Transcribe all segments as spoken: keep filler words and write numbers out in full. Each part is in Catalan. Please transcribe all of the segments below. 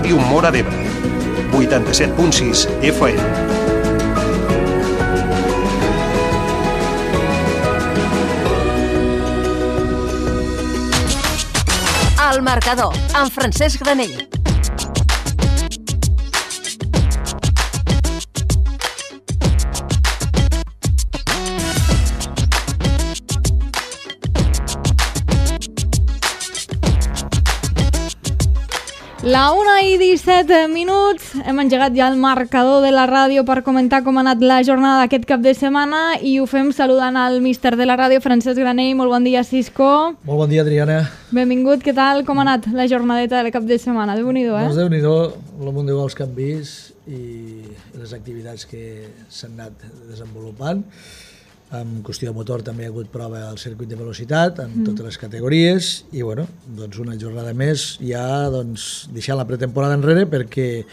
Ràdio Móra d'Ebre, vuitanta-set punt sis F M. El marcador, amb Francesc Granell. La una i disset minuts, hem engegat ja el marcador de la ràdio per comentar com ha anat la jornada d'aquest cap de setmana i ho fem saludant al míster de la ràdio, Francesc Granell. Molt bon dia, Cisco. Molt bon dia, Adriana. Benvingut, què tal? Com ha anat la jornadeta del cap de setmana? Déu-n'hi-do, eh? Doncs Déu-n'hi-do, el munt de gols que hem vist i les activitats que s'han anat desenvolupant. En qüestió de motor també hi ha hagut prova al circuit de velocitat en mm. totes les categories i bueno, doncs una jornada més ja doncs, deixant la pretemporada enrere perquè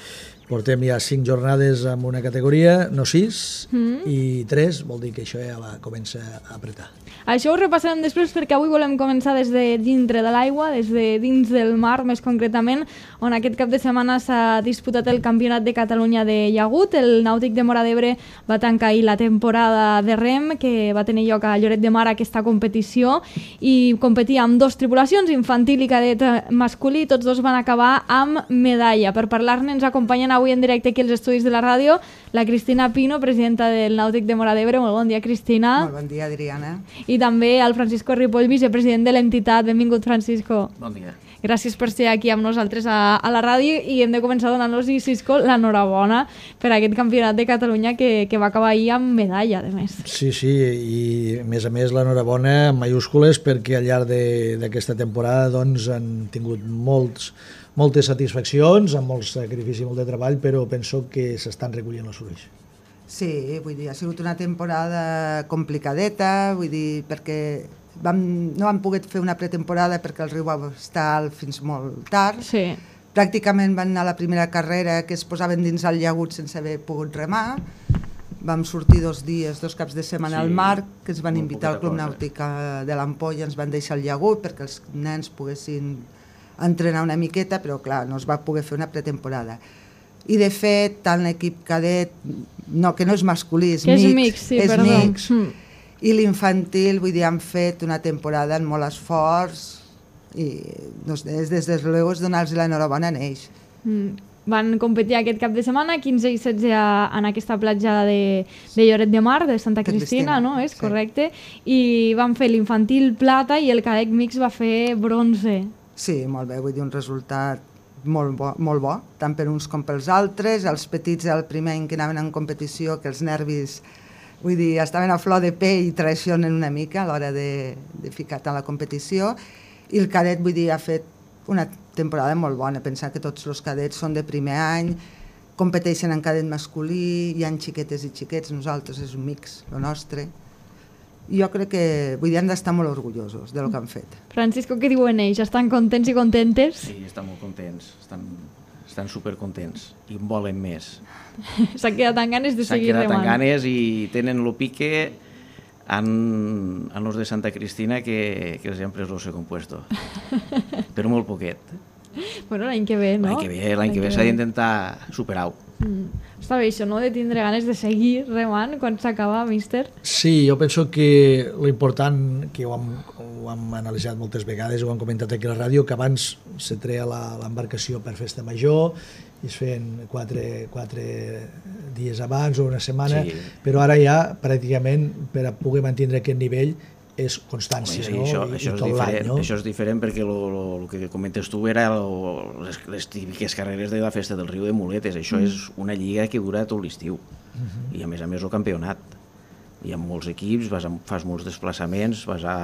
portem ja cinc jornades en una categoria, no sis, mm. i tres, vol dir que això ja va, comença a apretar. Això ho repassarem després perquè avui volem començar des de dintre de l'aigua, des de dins del mar més concretament, on aquest cap de setmana s'ha disputat el Campionat de Catalunya de llagut. El Nàutic de Móra d'Ebre va tancar ahir la temporada de rem que va tenir lloc a Lloret de Mar aquesta competició i competia amb dos tripulacions, infantil i cadet masculí, tots dos van acabar amb medalla. Per parlar-ne ens acompanyen avui en directe aquí als estudis de la ràdio la Cristina Pino, presidenta del Nàutic de Móra d'Ebre. Molt bon dia, Cristina. Molt bon dia, Adriana. I també el Francisco Ripoll, vicepresident de l'entitat. Benvingut, Francisco. Bon dia. Gràcies per ser aquí amb nosaltres a, a la ràdio i hem de començar donant-los, Cisco, l'enhorabona per aquest campionat de Catalunya que, que va acabar ahir amb medalla, a més. Sí, sí, i a més a més l'enhorabona en majúscules perquè al llarg d'aquesta temporada doncs, han tingut molts, moltes satisfaccions, amb molt sacrifici i molt de treball, però penso que s'estan recollint els fruits. Sí, vull dir, ha sigut una temporada complicadeta, vull dir, perquè vam, no vam poder fer una pretemporada perquè el riu va estar alt fins molt tard. Sí. Pràcticament van anar a la primera carrera que es posaven dins el llagut sense haver pogut remar. Vam sortir dos dies, dos caps de setmana sí, al mar, que ens van invitar al Club Nàutic de l'Ampolla, ens van deixar el llagut perquè els nens poguessin entrenar una miqueta, però clar, no es va poder fer una pretemporada. I de fet, tant l'equip cadet, no, que no és masculí, és que mix, és mix, sí, és perdó. mix, mm. i l'infantil, vull dir, han fet una temporada amb molt esforç i doncs, des de luego és donar-los l'enhorabona a ells. Mm. Van competir aquest cap de setmana, quinze i setze en aquesta platja de, de Lloret de Mar, de Santa Cristina, Cristina no? És sí. Correcte? I van fer l'infantil plata i el cadet mix va fer bronze. Sí, molt bé, vull dir, un resultat molt bo, molt bo, tant per uns com pels altres. Els petits, el primer any que anaven en competició, que els nervis, vull dir, estaven a flor de pell i traicionen una mica a l'hora de, de ficar-te a la competició. I el cadet, vull dir, ha fet una temporada molt bona. Pensar que tots els cadets són de primer any, competeixen en cadet masculí, hi ha xiquetes i xiquets, nosaltres és un mix, el nostre. Jo crec que, vull dir, han d'estar molt orgullosos del que han fet. Francisco, què diuen ells? Estan contents i contentes? Sí, estan molt contents, estan, estan supercontents i en volen més. S'han quedat amb ganes de seguir remant. S'han quedat amb ganes i tenen el pique en, en los de Santa Cristina que, que els han pres el segon puesto, però molt poquet. Bueno, l'any que ve, no? L'any que ve, l'any que ve s'ha d'intentar superar-ho. Mm. Està bé això, no?, de tindre ganes de seguir remant quan s'acaba, míster. Sí, jo penso que l'important, que ho hem, ho hem analitzat moltes vegades, ho hem comentat aquí a la ràdio, que abans se treia l'embarcació per festa major i es feien quatre, quatre dies abans o una setmana, sí. Però ara ja pràcticament per a poder mantenir aquest nivell és constància, sí, no? Això, I, això, i és tot l'any, no? Això és diferent perquè el que comentes tu era lo, les, les típiques carreres de la festa del riu de muletes. Això mm. és una lliga que dura tot l'estiu. Mm-hmm. I a més a més el campionat. Hi ha molts equips, vas a, fas molts desplaçaments, vas a,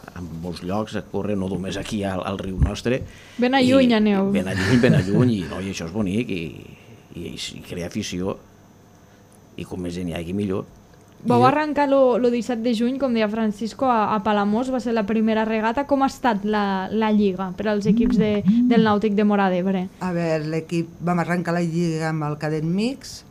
a molts llocs a córrer, no només aquí al, al riu nostre. Ben a lluny aneu. Ben a lluny, ben a lluny, i, no, i això és bonic, i, i, i crea afició. I com més gent hi hagi, millor. Vau arrencar el disset de juny, com deia Francisco, a, a Palamós, va ser la primera regata. Com ha estat la, la lliga per als equips de, del Nàutic de Móra d'Ebre? A veure, l'equip, vam arrencar la lliga amb el cadet mix,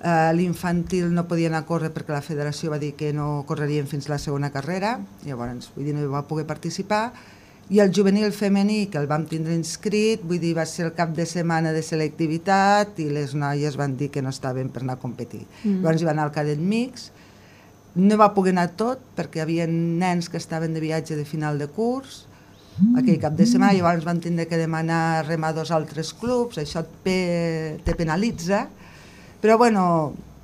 uh, l'infantil no podia anar a córrer perquè la federació va dir que no correrien fins la segona carrera, llavors vull dir, no va poder participar, I el juvenil femení, que el vam tindre inscrit, vull dir, va ser el cap de setmana de selectivitat i les noies van dir que no estaven per anar a competir. Mm. Llavors hi va anar al cadet mix, no va poder anar tot perquè hi havia nens que estaven de viatge de final de curs, mm. aquell cap de setmana, llavors van tindre que demanar remar dos altres clubs, això et pe, te penalitza, però bueno,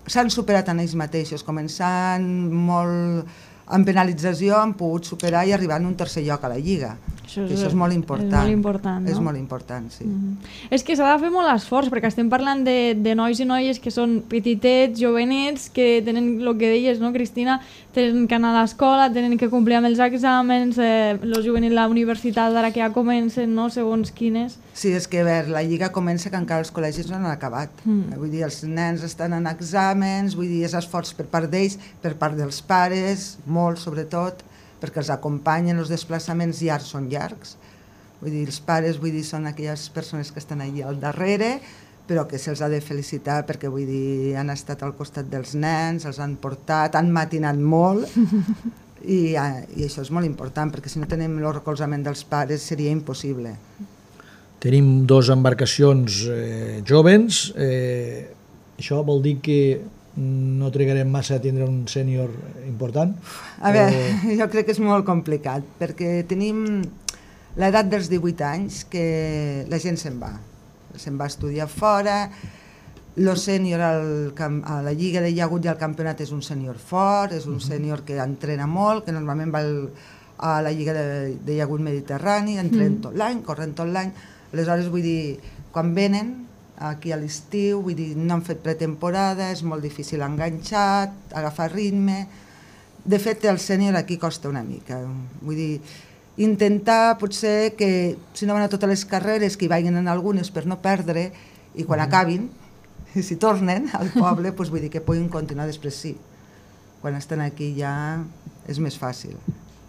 s'han superat en ells mateixos, començant molt amb penalització, han pogut superar i arribar en un tercer lloc a la Lliga. Això és, això és molt important. És molt important, no? És molt important, sí. Mm-hmm. És que s'ha de fer molt esforç, perquè estem parlant de, de nois i noies que són petitets, jovenets, que tenen el que deies, no, Cristina? Tenen que anar a l'escola, tenen que complir amb els exàmens, eh, el juvenil a la universitat ara que ja comencen, no?, segons quines. Sí, és que a veure, la Lliga comença que encara els col·legis no han acabat. Mm. Vull dir, els nens estan en exàmens, vull dir, és esforç per part d'ells, per part dels pares, molt sobretot, perquè els acompanyen, els desplaçaments llargs són llargs. Vull dir, els pares, vull dir, són aquelles persones que estan allà al darrere, però que se'ls ha de felicitar perquè, vull dir, han estat al costat dels nens, els han portat, han matinat molt, i, i això és molt important, perquè si no tenim el recolzament dels pares seria impossible. Tenim dues embarcacions eh, joves, eh, això vol dir que no trigarem massa a tindre un sènior important? A veure, o... jo crec que és molt complicat, perquè tenim l'edat dels divuit anys que la gent se'n va, se'n va a estudiar fora, el sènior a la Lliga de Llagut i al campionat és un sènior fort, és un sènior que entrena molt, que normalment va a la Lliga de, de Llagut Mediterrani, entrenen tot l'any, corren tot l'any, aleshores vull dir, quan venen aquí a l'estiu, vull dir, no han fet pretemporada, és molt difícil enganxar, agafar ritme. De fet, el sènior aquí costa una mica. Vull dir, intentar potser que, si no van a totes les carreres, que hi vagin en algunes per no perdre, i quan mm. acabin, i si tornen al poble, doncs vull dir que puguin continuar després sí. Quan estan aquí ja és més fàcil.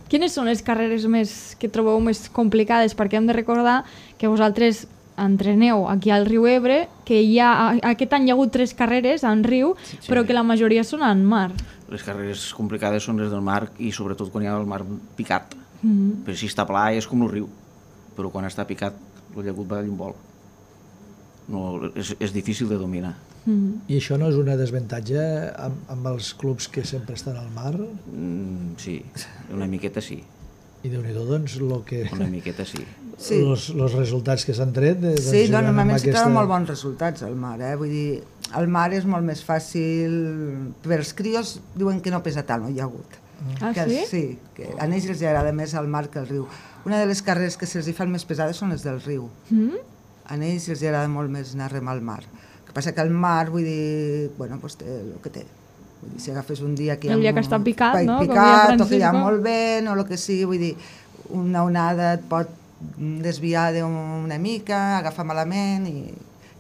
Quines són les carreres més que trobeu més complicades? Perquè hem de recordar que vosaltres entreneu aquí al riu Ebre, que hi ha, aquest any hi ha hagut tres carreres en riu, sí, sí. però que la majoria són en mar. Les carreres complicades són les del mar i sobretot quan hi ha el mar picat. Mm-hmm. Però si està pla és com el riu, però quan està picat el llagut va d'un vol. No, és, és difícil de dominar. Mm-hmm. I això no és una desavantatge amb, amb els clubs que sempre estan al mar? Mm, sí, una miqueta sí. I Déu-n'hi-do, doncs, lo que... Una miqueta sí. Sí. Los, los resultats que s'han tret... Eh, doncs, sí, no, normalment s'hi aquesta... troben molt bons resultats al mar, eh? Vull dir, al mar és molt més fàcil... Per als crios diuen que no pesa tant, no hi ha hagut. Ah, que, sí? Sí, que a ells els agrada més el mar que el riu. Una de les carreres que se'ls fan més pesades són les del riu. Mm? A ells els agrada molt més anar a remar al mar. El que passa que el mar, vull dir, bueno, doncs té el que té. Vull dir, si agafes un dia que hi ha... El dia que està picat, no? Picat, o que hi ha molt vent, o el que sigui, vull dir, una onada et pot desviar d'una mica, agafar malament i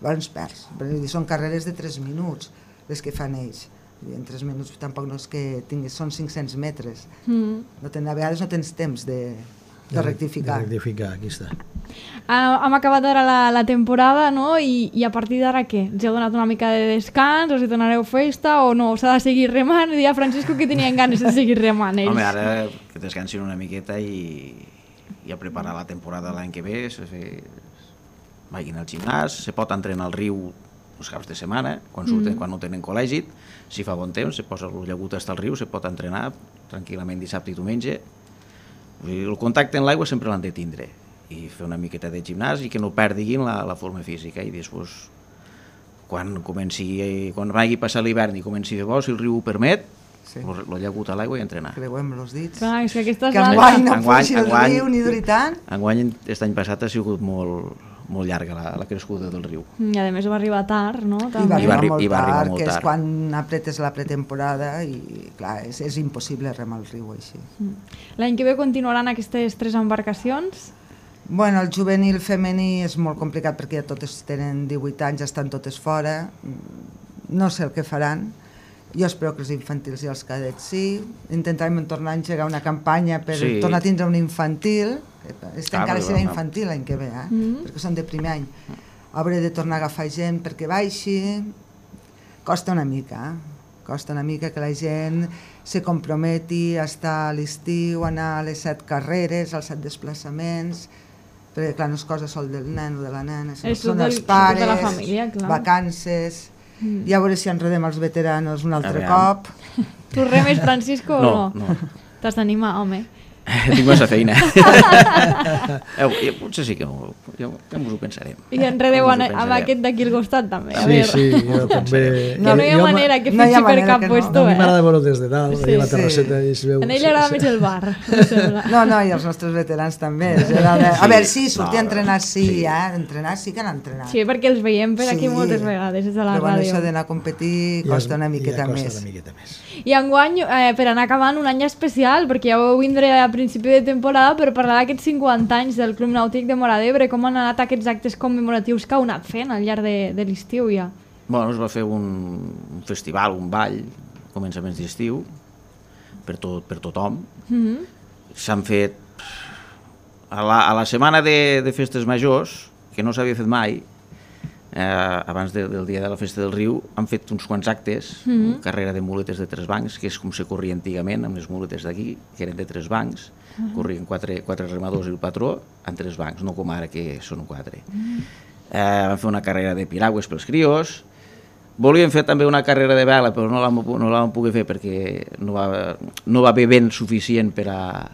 llavors perds. Vull dir, són carreres de tres minuts, les que fan ells. Vull dir, en tres minuts tampoc no és que tinguis, són cinc-cents metres. Mm. No ten, a vegades no tens temps de, de rectificar. De rectificar, aquí està. Uh, hem acabat ara la, la temporada, no? I, i a partir d'ara què? Us heu donat una mica de descans? O si donareu festa o no? S'ha de seguir remant? Deia Francisco que tenien ganes de seguir remant ells. Home, ara que descansin una miqueta i, i a preparar la temporada l'any que ve, se fer... vagin al gimnàs, se pot entrenar al riu els caps de setmana, quan, surten, mm. quan no tenen col·legi, si fa bon temps, se posa el llagut hasta al riu, se pot entrenar tranquil·lament dissabte i diumenge. El contacte amb l'aigua sempre l'han de tindre, i fer una miqueta de gimnàs i que no perdiguin la, la forma física, i després quan comenci, quan vagi passar l'hivern i comenci de bo, si el riu ho permet, sí. lo llagut a l'aigua i entrenar. Creuem els dits. Clar, és que aquesta és que enguany no fugi el riu ni duri tant. Enguany, aquest any passat ha sigut molt, molt llarga la, la crescuda del riu. I a més va arribar tard, no? I va arribar, I va, molt, i va arribar tard, molt que tard, és quan apretes la pretemporada i clar, és, és impossible remar el riu així. L'any que ve continuaran aquestes tres embarcacions? Bueno, el juvenil femení és molt complicat perquè ja totes tenen divuit anys, ja estan totes fora, no sé el que faran. Jo espero que els infantils i els cadets sí. Intentarem tornar a engegar una campanya per sí. tornar a tindre un infantil. Este ah, encara serà infantil l'any que ve, eh? mm. perquè són de primer any. Hauré de tornar a agafar gent perquè baixi. Costa una mica, eh? Costa una mica que la gent se comprometi a estar a l'estiu, anar a les set carreres, als set desplaçaments, perquè clar, no és cosa sol del nen o de la nena, És són tot els del- pares, tota la família, clar. vacances, Mm. i a veure si enredem els veteranos un altre A veure. cop. Tu remes, Francisco, No, o no? no. T'has d'animar, home. Tinc massa feina. eh, ja, potser sí que m'ho- ja, ja m'ho pensarem. I enredeu Ja en, m'ho amb pensarem. aquest d'aquí al costat, també. A Sí, veure. sí, jo també... Que no hi ha jo, manera que no hi ha fitxi per manera cap que no. puesto, No, a mi m'agrada eh? veure des de dalt, Sí, sí, la sí. terrasseta i es veu... A ell li agrada més el bar, em sembla. No, no, i els nostres veterans també. Era de... A veure, sí, sortir a entrenar sí, eh? Entrenar sí que han entrenat. Sí, perquè els veiem per aquí Sí. moltes vegades des de la Però bueno, ràdio. això d'anar a competir Ja costa una es- miqueta ja costa més. una miqueta més. I enguany, eh, per anar acabant, un any especial, perquè ja vau vindre a principi de temporada per parlar d'aquests cinquanta anys del Club Nàutic de Móra d'Ebre, com han anat aquests actes commemoratius que heu anat fent al llarg de, de l'estiu ja. Bueno, es va fer un, un festival, un ball, començaments d'estiu, per, tot, per tothom. Mm -hmm. S'han fet... A la, a la setmana de, de festes majors, que no s'havia fet mai, eh, abans de, del dia de la festa del riu, han fet uns quants actes, Mhm. una carrera de muletes de tres bancs, que és com se corria antigament, amb les muletes d'aquí, que eren de tres bancs, Mhm. corrien quatre, quatre remadors i el patró, en tres bancs, no com ara que són quatre. Mhm. Eh, van fer una carrera de piragües pels crios, volíem fer també una carrera de vela, però no la, no la vam poder fer perquè no va, no va haver vent suficient per a,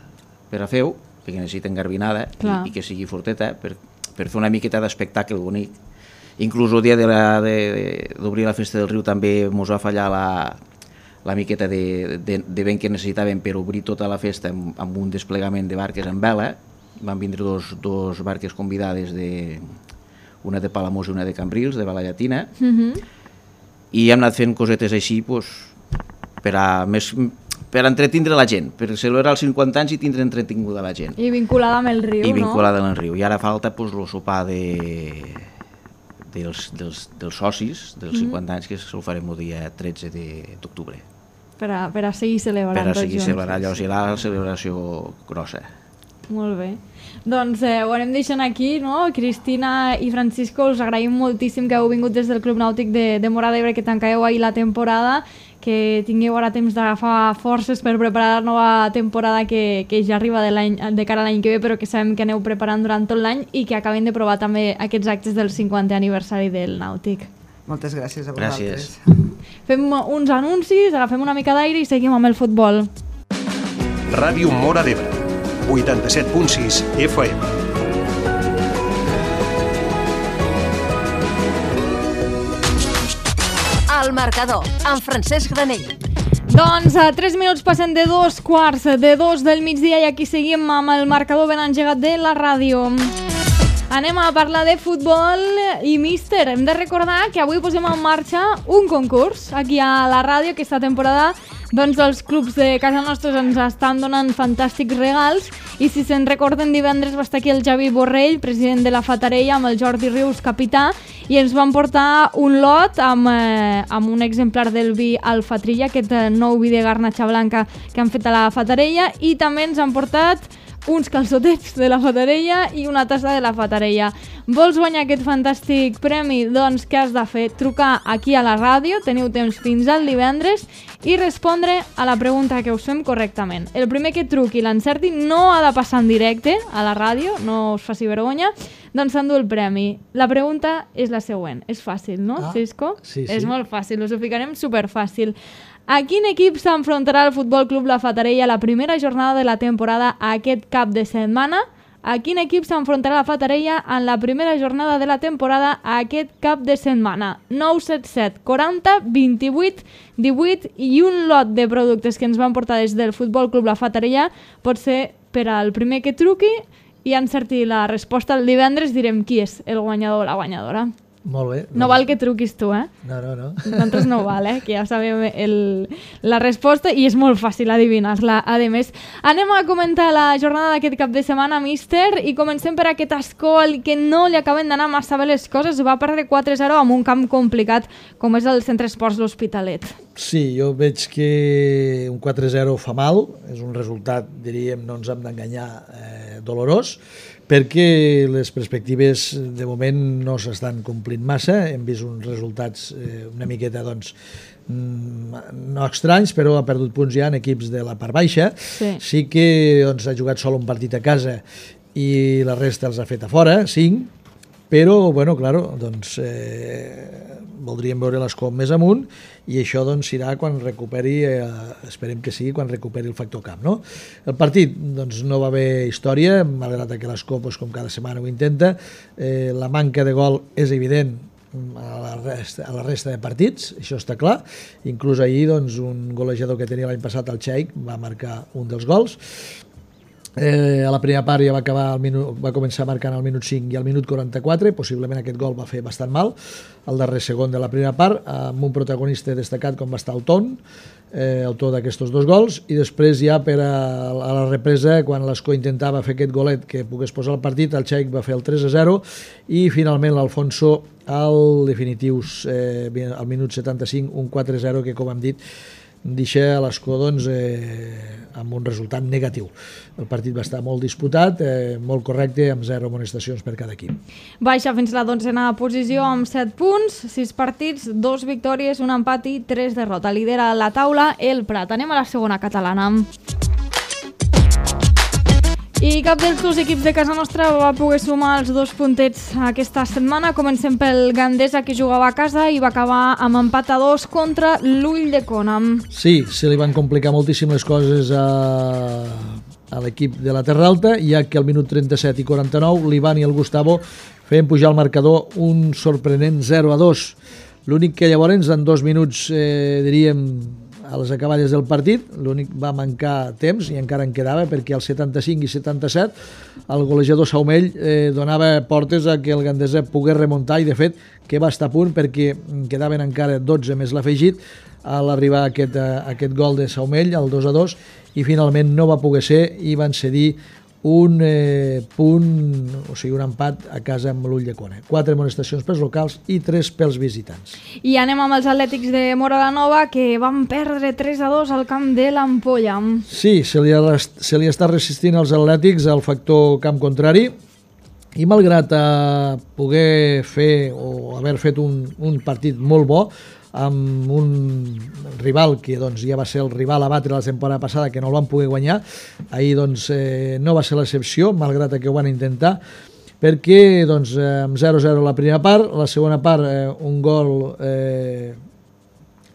per a fer-ho, perquè necessiten garbinada i, i que sigui forteta per, per fer una miqueta d'espectacle bonic. Inclús el dia de la- de- d'obrir la festa del riu també ens va fallar la, la miqueta de, de, de vent que necessitàvem per obrir tota la festa amb, amb un desplegament de barques en vela. Van vindre dos, dos barques convidades, de, una de Palamós i una de Cambrils, de vela llatina, Mm -hmm. i hem anat fent cosetes així pues, per, a, més, per a entretindre la gent, per celebrar els cinquanta anys i tindre entretinguda la gent. I vinculada amb el riu, I no? vinculada amb el riu. I ara falta pues, el sopar de, dels, dels, dels socis dels cinquanta anys, que se'l farem el dia tretze d'octubre. Per a, per a seguir celebrant Per a tots seguir junts. celebrant allò, serà la celebració grossa. Molt bé. Doncs eh, ho anem deixant aquí, no? Cristina i Francisco, us agraïm moltíssim que heu vingut des del Club Nàutic de, de Móra d'Ebre, que tancàveu ahir la temporada, que tingueu ara temps d'agafar forces per preparar la nova temporada que, que ja arriba de, l'any, de cara a l'any que ve, però que sabem que aneu preparant durant tot l'any i que acabem de provar també aquests actes del cinquantè aniversari del Nàutic. Moltes gràcies a Gràcies. vosaltres. Fem uns anuncis, agafem una mica d'aire i seguim amb el futbol. Ràdio Móra d'Ebre, vuitanta-set punt sis F M. El marcador, amb Francesc Granell. Doncs a tres minuts passen de dos quarts de dos del migdia i aquí seguim amb el marcador ben engegat de la ràdio. Anem a parlar de futbol i míster. Hem de recordar que avui posem en marxa un concurs aquí a la ràdio. Aquesta temporada doncs, els clubs de casa nostra ens estan donant fantàstics regals i si se'n recorden divendres va estar aquí el Javi Borrell, president de la Fatarella, amb el Jordi Rius, capità, i ens van portar un lot amb, eh, amb un exemplar del vi Alfatrilla, aquest eh, nou vi de garnatxa blanca que han fet a la Fatarella, i també ens han portat uns calçotets de la Fatarella i una tassa de la Fatarella. Vols guanyar aquest fantàstic premi? Doncs què has de fer? Trucar aquí a la ràdio, teniu temps fins al divendres, i respondre a la pregunta que us fem correctament. El primer que truqui i l'encerti no ha de passar en directe a la ràdio, no us faci vergonya, doncs s'endú el premi. La pregunta és la següent. És fàcil, no, Ah, Cisco? sí, sí. És molt fàcil, us ho ficarem superfàcil. A quin equip s'enfrontarà el Futbol Club La Fatarella a la primera jornada de la temporada aquest cap de setmana? A quin equip s'enfrontarà la Fatarella en la primera jornada de la temporada aquest cap de setmana? nou set set quaranta vint-i-vuit divuit i un lot de productes que ens van portar des del Futbol Club La Fatarella pot ser per al primer que truqui i encerti la resposta el divendres direm qui és el guanyador o la guanyadora. Molt bé. No val que truquis tu, eh? No, no, no. Nosaltres no val, eh? Que ja sabem el, la resposta i és molt fàcil adivinar-la. A més, anem a comentar la jornada d'aquest cap de setmana, míster, i comencem per aquest Ascol que no li acaben d'anar massa bé les coses. Va perdre quatre zero amb un camp complicat com és el Centre Esports L'Hospitalet. Sí, jo veig que un quatre zero fa mal, és un resultat, diríem, no ens hem d'enganyar, eh, dolorós, perquè les perspectives de moment no s'estan complint massa, hem vist uns resultats eh, una miqueta doncs, no estranys, però ha perdut punts ja en equips de la part baixa. Sí, sí que doncs, ha jugat sol un partit a casa i la resta els ha fet a fora, cinc, però, bueno, claro, doncs, eh, voldríem veure l'Escó més amunt i això doncs serà quan recuperi, eh, esperem que sigui quan recuperi el factor camp, no? El partit doncs, no va haver història, malgrat que l'Escó, doncs, com cada setmana ho intenta, eh, la manca de gol és evident a la, resta, a la resta de partits, això està clar. Inclús ahir doncs, un golejador que tenia l'any passat, el Xaic, va marcar un dels gols. Eh, a la primera part ja va, acabar al minut, va començar marcant al minut cinc i al minut quaranta-quatre, possiblement aquest gol va fer bastant mal, el darrer segon de la primera part, amb un protagonista destacat com va estar el Ton, eh, autor d'aquests dos gols, i després ja per a, a la represa, quan l'Escó intentava fer aquest golet que pogués posar el partit, el Xaic va fer el tres a zero i finalment l'Alfonso al definitius, eh, al minut setanta-cinc, un quatre a zero que, com hem dit, deixa l'Escó doncs, eh, amb un resultat negatiu. El partit va estar molt disputat, eh, molt correcte, amb zero amonestacions per cada equip. Baixa fins la dotzena posició amb set punts, sis partits, dos victòries, un empat i tres derrota. Lidera la taula el Prat. Anem a la segona catalana. I cap dels dos equips de casa nostra va poder sumar els dos puntets aquesta setmana. Comencem pel Gandesa, que jugava a casa i va acabar amb empat a dos contra l'Ulldecona. Sí, se li van complicar moltíssim les coses a, a l'equip de la Terra Alta, ja que al minut trenta-set i quaranta-nou l'Ivan i el Gustavo feien pujar al marcador un sorprenent zero a dos. L'únic que llavors en dos minuts, eh, diríem, a les acaballes del partit, l'únic va mancar temps i encara en quedava, perquè al setanta-cinc i setanta-set el golejador Saumell eh, donava portes a que el Gandesa pogués remuntar, i de fet que va estar a punt, perquè quedaven encara dotze més l'afegit a l'arribar a aquest, a aquest gol de Saumell, el dos a dos, i finalment no va poder ser i van cedir un eh, punt, o sigui, un empat a casa amb l'Ulldecona. Quatre amonestacions pels locals i tres pels visitants. I anem amb els Atlètics de Móra la Nova, que van perdre tres a dos al camp de l'Ampolla. Sí, se li, ha, se li està resistint als Atlètics el factor camp contrari, i malgrat eh, poder fer o haver fet un, un partit molt bo, amb un rival que doncs, ja va ser el rival a batre la temporada passada, que no el van poder guanyar, ahir doncs, eh, no va ser l'excepció, malgrat que ho van intentar, perquè doncs, eh, amb zero a zero la primera part, la segona part eh, un gol eh,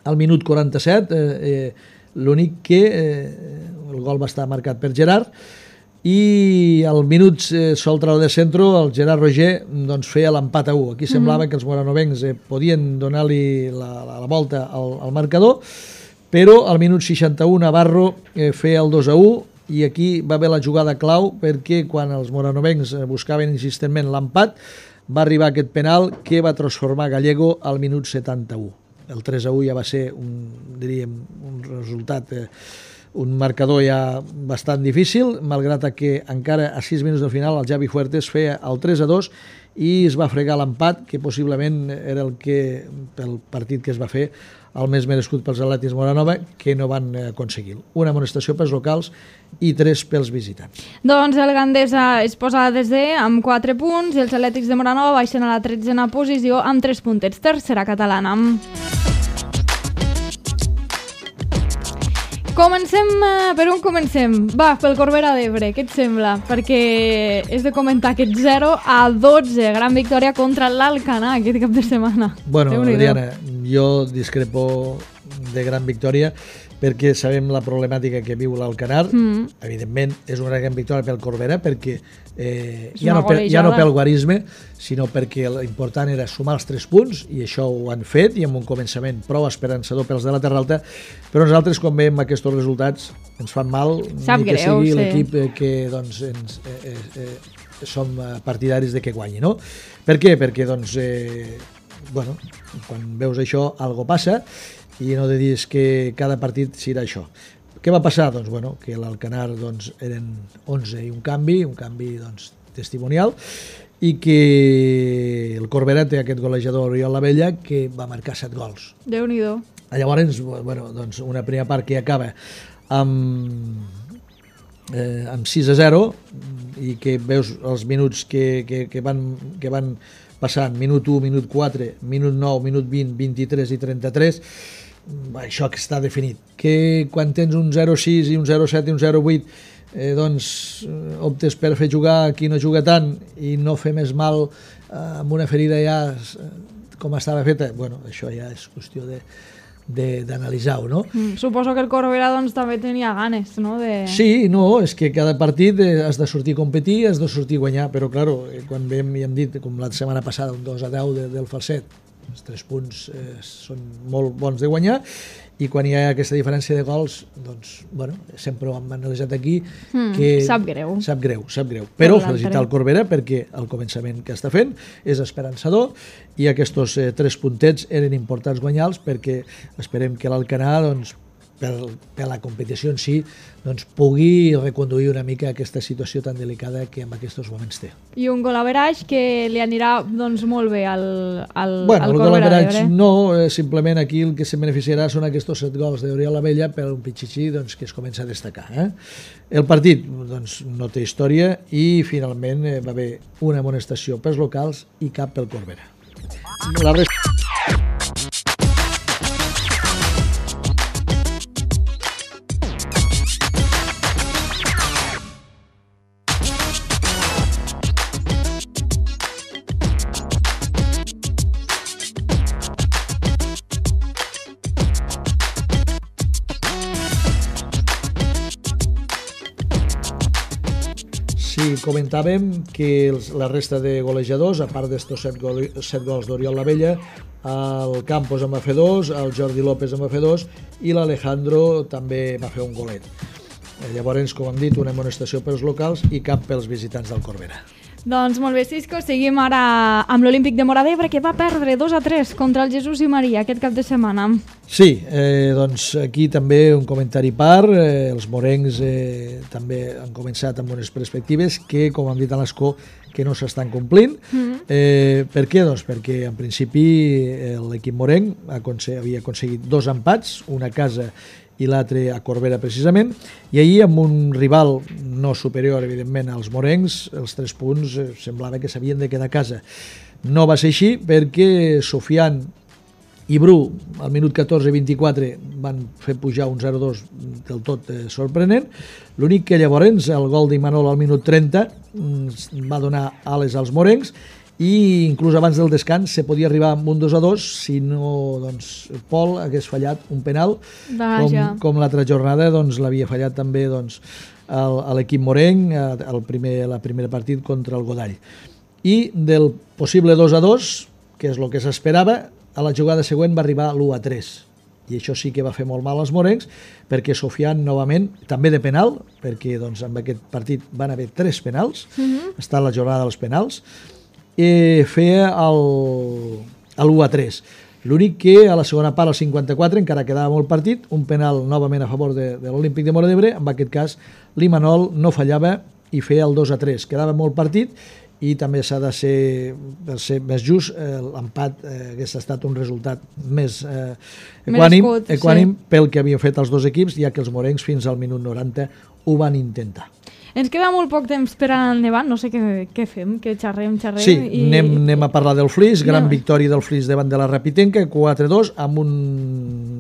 al minut quaranta-set, eh, eh, l'únic que eh, el gol va estar marcat per Gerard, i al minut eh, soltra de centro el Gerard Roger doncs, feia l'empat a u. Aquí semblava mm-hmm. que els moranovencs eh, podien donar-li la, la, la volta al, al marcador, però al minut seixanta-u Navarro eh, feia el dos a u, i aquí va haver la jugada clau, perquè quan els moranovencs eh, buscaven insistentment l'empat, va arribar aquest penal que va transformar Gallego al minut setanta-u. El tres a u ja va ser un, diríem, un resultat... Eh, un marcador ja bastant difícil, malgrat que encara a sis minuts del final el Javi Fuertes feia el tres a dos i es va fregar l'empat, que possiblement era el que, pel partit que es va fer, el més merescut pels Atlètics Moranova, que no van aconseguir. Una amonestació pels locals i tres pels visitants. Doncs el Gandesa es posa a desè amb quatre punts i els Atlètics de Moranova baixen a la tretzena posició amb tres puntets. Tercera catalana. Comencem, per on comencem? Va, pel Corbera d'Ebre, què et sembla? Perquè és de comentar aquest zero a dotze, gran victòria contra l'Alcanar aquest cap de setmana. Bueno, Diana, jo discrepo de gran victòria perquè sabem la problemàtica que viu l'Alcanar. Mm. Evidentment, és una gran victòria pel Corbera perquè eh, ja, no per, ja no pel guarisme, sinó perquè l'important era sumar els tres punts, i això ho han fet, i amb un començament prou esperançador pels de la Terra Alta, però nosaltres, quan veiem aquests resultats, ens fan mal. Sap ni que greu, sigui sí. L'equip eh, que doncs, ens, eh, eh, eh, som partidaris de que guanyi, no? Per què? Perquè, doncs, eh, bueno, quan veus això, algo passa, i no de dir que cada partit serà això. Què va passar? Doncs, bueno, que l'Alcanar doncs, eren onze i un canvi, un canvi doncs, testimonial, i que el Corbera té aquest golejador Oriol Lavella que va marcar set gols. Déu-n'hi-do. Llavors, bueno, doncs una primera part que acaba amb, eh, amb sis a zero, i que veus els minuts que, que, que, van, que van passant, minut u, minut quatre, minut nou, minut vint, vint-i-tres i trenta-tres, això que està definit, que quan tens un zero sis i un zero set i un zero vuit eh, doncs optes per fer jugar qui no juga tant i no fer més mal eh, amb una ferida ja eh, com estava feta, bueno, això ja és qüestió de d'analitzar-ho, no? Mm, suposo que el Corbera doncs, també tenia ganes, no? De... Sí, no, és que cada partit has de sortir a competir, has de sortir a guanyar, però, claro, quan vam i hem dit, com la setmana passada, un dos a deu de, del Falset, els tres punts eh, són molt bons de guanyar, i quan hi ha aquesta diferència de gols, doncs, bueno, sempre ho hem analitzat aquí, mm, que... Sap greu. Sap greu, sap greu. Però felicitar el Corbera perquè el començament que està fent és esperançador i aquests eh, tres puntets eren importants guanyar-los perquè esperem que l'Alcanar, doncs, per, per la competició en si, doncs, pugui reconduir una mica aquesta situació tan delicada que en aquests moments té. I un gol average que li anirà doncs, molt bé al, al, bueno, al el Corbera gol average d'Ebre. no, eh, simplement aquí el que se beneficiarà són aquests set gols d'Oriol Abella per un pitxitxí doncs, que es comença a destacar. Eh? El partit doncs, no té història i finalment eh, va haver una amonestació pels locals i cap pel Corbera. La resta... Sí, comentàvem que els, la resta de golejadors, a part d'estos set, gol, set gols d'Oriol Labella, el Campos en va fer dos, el Jordi López en va fer dos i l'Alejandro també va fer un golet. Llavors, com hem dit, una amonestació pels locals i cap pels visitants del Corbera. Doncs molt bé, Cisco, seguim ara amb l'Olímpic de Móra d'Ebre, que va perdre dos a tres contra el Jesús i Maria aquest cap de setmana. Sí, eh, doncs aquí també un comentari part, eh, els morencs eh, també han començat amb unes perspectives que, com han dit a l'Escó, que no s'estan complint. Mm-hmm. eh, per què? Doncs perquè en principi l'equip morenc havia aconseguit dos empats, una a casa i l'altre a Corbera precisament, i ahir amb un rival no superior evidentment als morencs, els tres punts eh, semblava que s'havien de quedar a casa. No va ser així perquè Sofian i Bru al minut catorze vint-i-quatre van fer pujar un zero dos del tot eh, sorprenent. L'únic que llavors el gol d'Imanol al minut trenta mm, va donar ales als morencs i inclús abans del descans se podia arribar amb un dos a dos si no, doncs, Pol hagués fallat un penal com, com l'altra jornada doncs, l'havia fallat també doncs, el, l'equip morenc el primer, la primera partit contra el Godall. I del possible dos a dos, que és el que s'esperava, a la jugada següent va arribar l'u a tres. I això sí que va fer molt mal als morencs, perquè Sofian, novament, també de penal, perquè doncs, en aquest partit van haver tres penals, mm-hmm. està la jornada dels penals, i feia l'u a tres. L'únic que a la segona part, al cinquanta-quatre, encara quedava molt partit, un penal novament a favor de, de l'Olímpic de Móra d'Ebre, en aquest cas l'Imanol no fallava i feia el dos a tres. Quedava molt partit i també s'ha de ser, per ser més just, eh, l'empat eh, hagués estat un resultat més eh, equànim, escut, equànim sí. pel que havien fet els dos equips, ja que els morencs fins al minut noranta ho van intentar. Ens queda molt poc temps per anar endavant, no sé què, què fem, que xerrem, xerrem... Sí, i... anem, anem a parlar del Flix, gran no. victòria del Flix davant de la Rapitenca, quatre a dos, amb un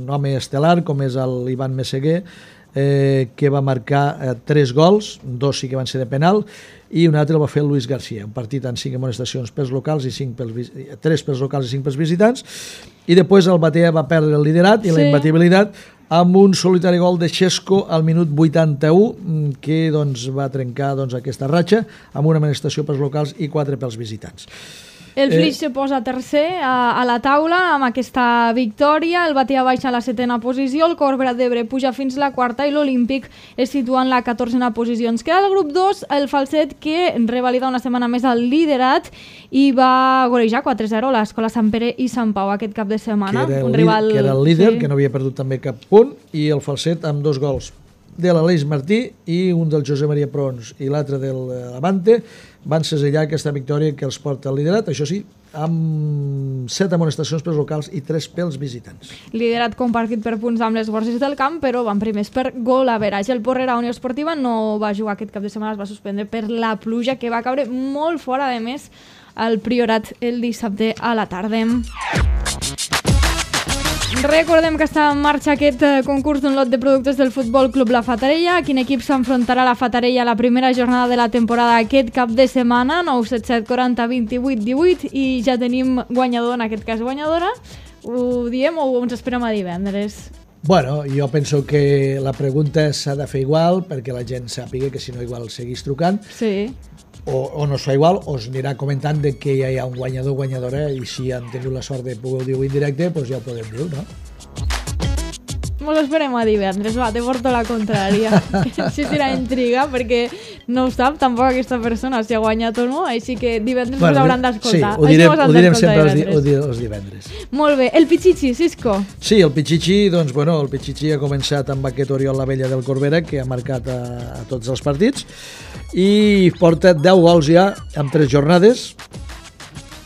home estel·lar com és l'Ivan Messeguer, eh, que va marcar eh, tres gols, dos sí que van ser de penal, i un altre el va fer el Luis García, un partit amb cinc amonestacions pels locals i cinc pels, tres pels locals i cinc pels visitants, i després el Batea va perdre el liderat i sí. la imbatibilitat amb un solitari gol de Xesco al minut vuitanta-u, que doncs, va trencar doncs, aquesta ratxa amb una amonestació pels locals i quatre pels visitants. El Flix eh... se posa tercer a, a la taula amb aquesta victòria, el Batea baixa a la setena posició, el Corbera d'Ebre puja fins a la quarta i l'Olímpic es situa en la catorzena posició. Ens queda el grup dos, el Falset, que revalida una setmana més el liderat i va golejar quatre a zero l'Escola Sant Pere i Sant Pau aquest cap de setmana. Que era el, un rival... que era el líder, sí. que no havia perdut també cap punt, i el Falset amb dos gols de l'Aleix Martí i un del José Maria Prons i l'altre de l'Avante van segellar aquesta victòria que els porta al liderat, això sí, amb set amonestacions pels locals i tres pels visitants. Liderat compartit per punts amb les Borges del Camp, però van primers per gol average. El Porrera Unió Esportiva no va jugar aquest cap de setmana, es va suspendre per la pluja que va caure molt fora, de més, al Priorat el dissabte a la tarda. Recordem que està en marxa aquest eh, concurs d'un lot de productes del Futbol Club La Fatarella. Quin equip s'enfrontarà a la Fatarella a la primera jornada de la temporada aquest cap de setmana? nou set set quaranta vint-i-vuit divuit, i ja tenim guanyador, en aquest cas guanyadora. Ho diem o ens esperem a divendres? Bueno, jo penso que la pregunta s'ha de fer igual perquè la gent sàpiga que si no igual seguís trucant. Sí. O, o no es fa igual, o es anirà comentant de que ja hi ha un guanyador o guanyadora, i si han tingut la sort de poder dir-ho en directe, doncs ja ho podem dir, no? Mos esperem a divendres, va, te porto la contrària. Així serà intriga, perquè no ho sap tampoc aquesta persona si ha guanyat o no, així que divendres bueno, us hauran d'escoltar. Sí, ho direm, ho direm sempre els, di, ho direm els divendres. Molt bé. El Pichichi, Cisco? Sí, el Pichichi, doncs, bueno, el Pichichi ha començat amb aquest Oriol Lavella del Corbera, que ha marcat a, a tots els partits, i porta deu gols ja en tres jornades,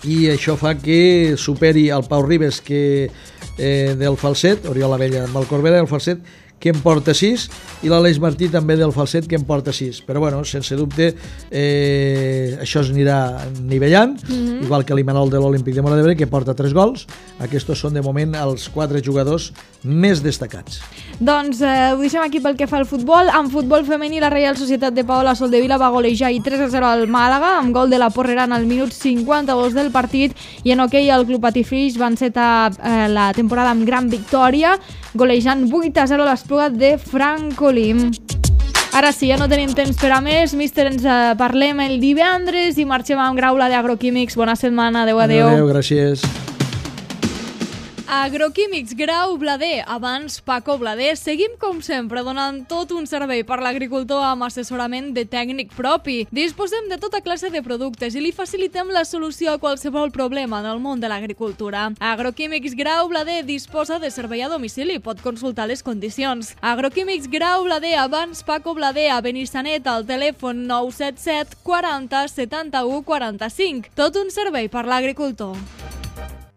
i això fa que superi el Pau Ribes, que eh, del Falset, Oriol Lavella amb el Corbera del Falset, que en porta sis, i l'Aleix Martí també del Falset, que en porta sis. Però, bueno, sense dubte, eh, això es anirà nivellant, mm-hmm. igual que l'Imanol de l'Olímpic de Móra d'Ebre, que porta tres gols. Aquests són, de moment, els quatre jugadors més destacats. Doncs eh, ho deixem aquí pel que fa al futbol. En futbol femení, la Reial Societat de Paola Soldevila va golejar i tres a zero al Màlaga, amb gol de la Porrerana al minut cinquanta-dos del partit, i en hoquei el Club Patiflix va encetar eh, la temporada amb gran victòria, golejant vuit a zero l'Espluga de Francolí. Ara sí, ja no tenim temps per a més. Míster, ens eh, parlem el divendres i marxem amb Graula d'Agroquímics. Bona setmana, adeu, adeu. Adeu, gràcies. Agroquímics Grau Blader, abans Paco Blader. Seguim, com sempre, donant tot un servei per l'agricultor amb assessorament de tècnic propi. Disposem de tota classe de productes i li facilitem la solució a qualsevol problema en el món de l'agricultura. Agroquímics Grau Blader disposa de servei a domicili, pot consultar les condicions. Agroquímics Grau Blader, abans Paco Blader, a Benissanet, al telèfon nou set set quaranta setanta-u quaranta-cinc. Tot un servei per l'agricultor.